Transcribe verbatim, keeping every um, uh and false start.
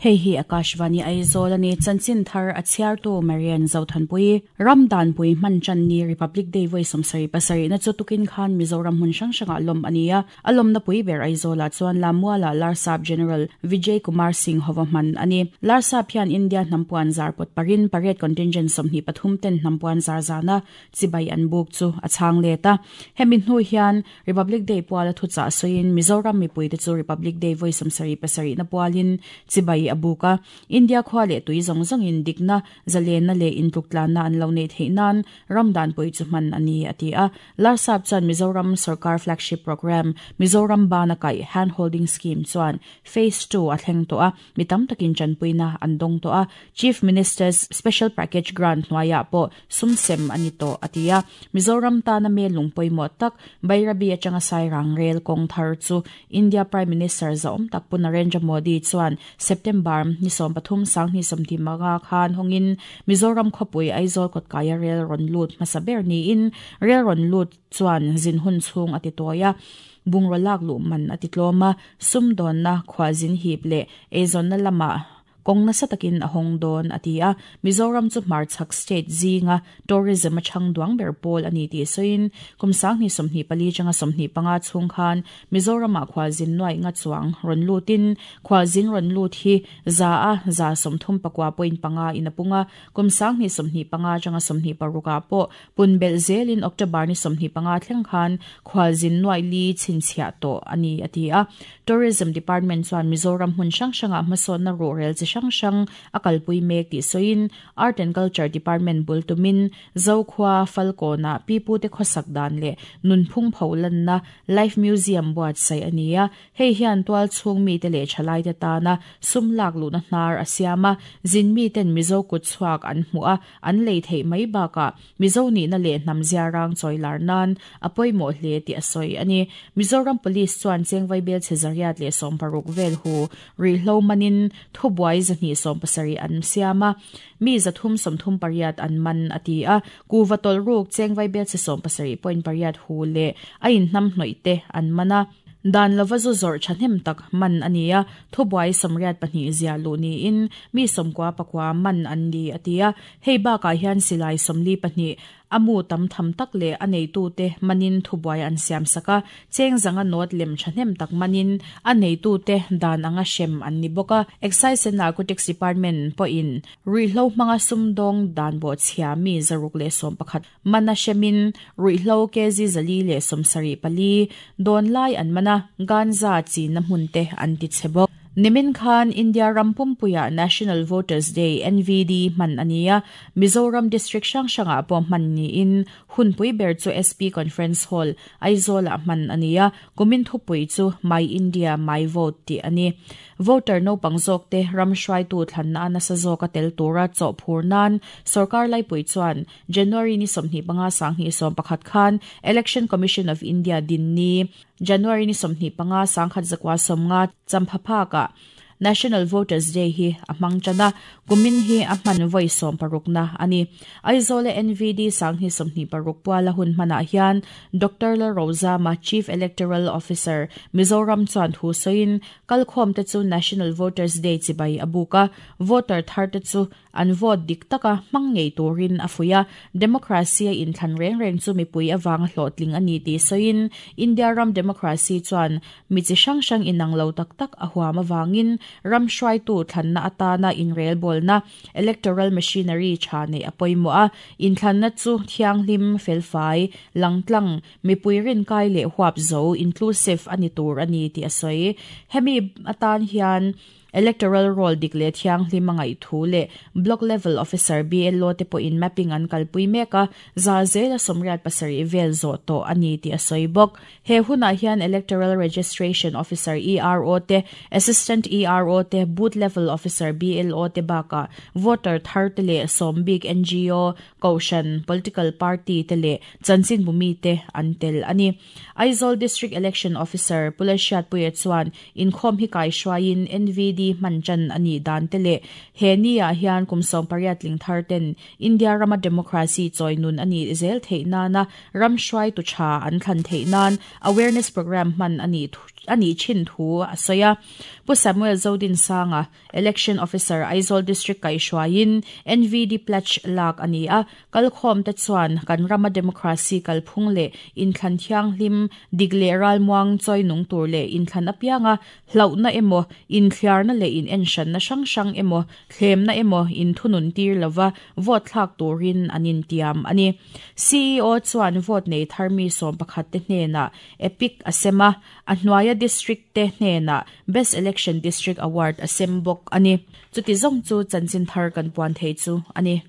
Hei hi Akashvani Aizawl ani chanchin thar a chhiartu Marian Zothanpui Ramdan pui hman chan ni Republic Day voi sawmsarih pasarih na chu tukin khan Mizoram hmun hrang hrangah lawm ania a lawmna pui ber Aizawlah chuan Lamuala Larsap General Vijay Kumar Singh hova hman ani Larsap hian India hnampuan zar pot parin parade contingent sawmhnih pathum ten hnampuan zar zana chibai an buk chu a chhang leta hemi hnu hian Republic Day puala thucha soin Mizoram mipui te chu Republic Day voi sawmsarih pasarih na pualin chibai abuka India khwale tui zong zong in dikna zalena le intuklana an lo nei theinan Ramdan pui chu man ani atia Larsap chan Mizoram Sarkar flagship program Mizoram Bana Kai hand holding scheme chuan phase two a thleng to a mitam takin chanpuina an dong to a Chief Minister's special package grant hnuaia po sumsem ani to atia Mizoram ta na me lungpoi mo tak Bairabi atanga Sairang rail kong thar chu India Prime Minister zaom tak pu Narendra Modi chuan September ni som pathum sang ni somthi manga khan hongin Mizoram khopui Aizawl kotkaya rail ron lut hmasaber ni in rail ron lut chuan zin hun chung ati toya bungrolak lu man ati tloma sumdon na khwazin hip le ezon na lama kong na sa takin ahong don atia Mizoram chu Marchak state zinga tourism a chang duang ber pol ani ti soin kumsang ni somni pali changa somni panga chung khan Mizoram a khwazin noi nga chuang ron lutin khwazin ron lut hi za a za somthum pakwa point panga inapunga kumsang ni somni panga changa somni paruka po punbel zelin October ni somni panga thleng khan khwazin noi li chinchia to ani atia Tourism Department chuan Mizoram hun sang sanga hmasawn na ro rel chi sang sang akalpui mek ti soin Art and Culture Department bultumin Zokhwa Falkona pipu te khosak dan le nunphung pholan na Life Museum buat sai ania hei hian tual chung mi te le thalai te ta na sumlak lu na hnar asiama zin mi ten Mizo kut chuak an hmua an lei thei mai baka Mizo ni na le hnamzia rang choilar nan apoi mo hle ti asoi ani Mizoram Police chuan chengwai bel chezariat le som paruk vel hu ri hlo manin thubuai zani som pasari an siama mi zathum somthum pariat an man atia kuvatol ruk chengwai bel che som pasari point pariat hu le ain hnam hnoite an mana dan lova zu zor thahnem tak man ania thubuai somriat pahnih zia lu ni in mi somkwa pakwa man an ni atia hei ba ka hian silai somli pahnih amu tam tham tak le anei tu te manin thubuai an siam saka cheng zanga not lem thahnem tak manin anei tu te dan anga shem an ni boka Excise and Narcotics Department po in ruihlo manga sumdong dan bo chhia mi zaruk le som pakhat mana shemin ruihlo kezi zali le somsari pali don lai an mana ganza chi na hmun te an ti chebok Nimin Khan India Rampumpuya National Voters Day N V D man ania Mizoram District sang sanga po man ni in hunpui ber chu S P Conference Hall Aizawl man ania kumin thupui chu My India My Vote ti ani voter no pangzok te ramshwai tu thlanna na sa zoka tel tura chaw phurnan sarkar lai pui chuan January ni somhni panga sanghi som pakhat khan Election Commission of India din ni January ni somhni panga sangkhat zakwa somnga champhapha ka National Voters Day hi amang chana kumin hi amman voi som parukna ani Aizawl N V D sanghi somhni paruk puala hun mana hian Doctor La Rosa ma Chief Electoral Officer Mizoram chuan thu soin kalkhom te chu National Voters Day chibai abuka voter thar te chu an vote dik taka mangngei turin afuya democracy in thlan reng reng chu mipui awang hlotling ani ti soin India ram democracy chuan mi chi hrang hrang inang lo tak tak a huam awangin ram hruai tu thlanna atana in rail bolna electoral machinery thane apoimo a in thlanna chu thianghlim felfai langtlang mipui rin kai le huap zo inclusive ani tur ani ti asoi hemi atan hian electoral roll dik le thianghlim angai thu le block level officer B L O te po in mapping an kalpui meka za zela somriat pasari vel zo to ani ti asoi bok he huna hian electoral registration officer E R O te assistant E R O te booth level officer B L O te baka voter thar te le sombik N G O koshan political party te le chanchin bumi te antel ani Aizawl District Election Officer Pulashat Puye chuan inkhom hi kai shwain N V D manchan ani dan te le he ni a hian kumsom pariat ling thar ten India rama democracy choinun ani zel theina na ram shwai tu cha an thlan theinan awareness program man ani ani chin thu a soya Pu Samuel Zodin Sanga Election Officer Aizawl District kai hruain N V D pledge lak ani a. Kalkhom te chuan kan rama democracy kalphung le inthlan thiang hlim dik le ral muang choi nung tur le inthlan apianga hlauna emo inthliar na le in enshan na sang sang emo thlem na emo in thunun tir lova vote thlak turin anin tiam ani. C E O chuan vote nei tharmi som pakhat te hnena EPIC asema a hnuaia district te hnena Best Election District Award asem bok ani. Chuti zong chu chanchin thar kan puan thei chu ani.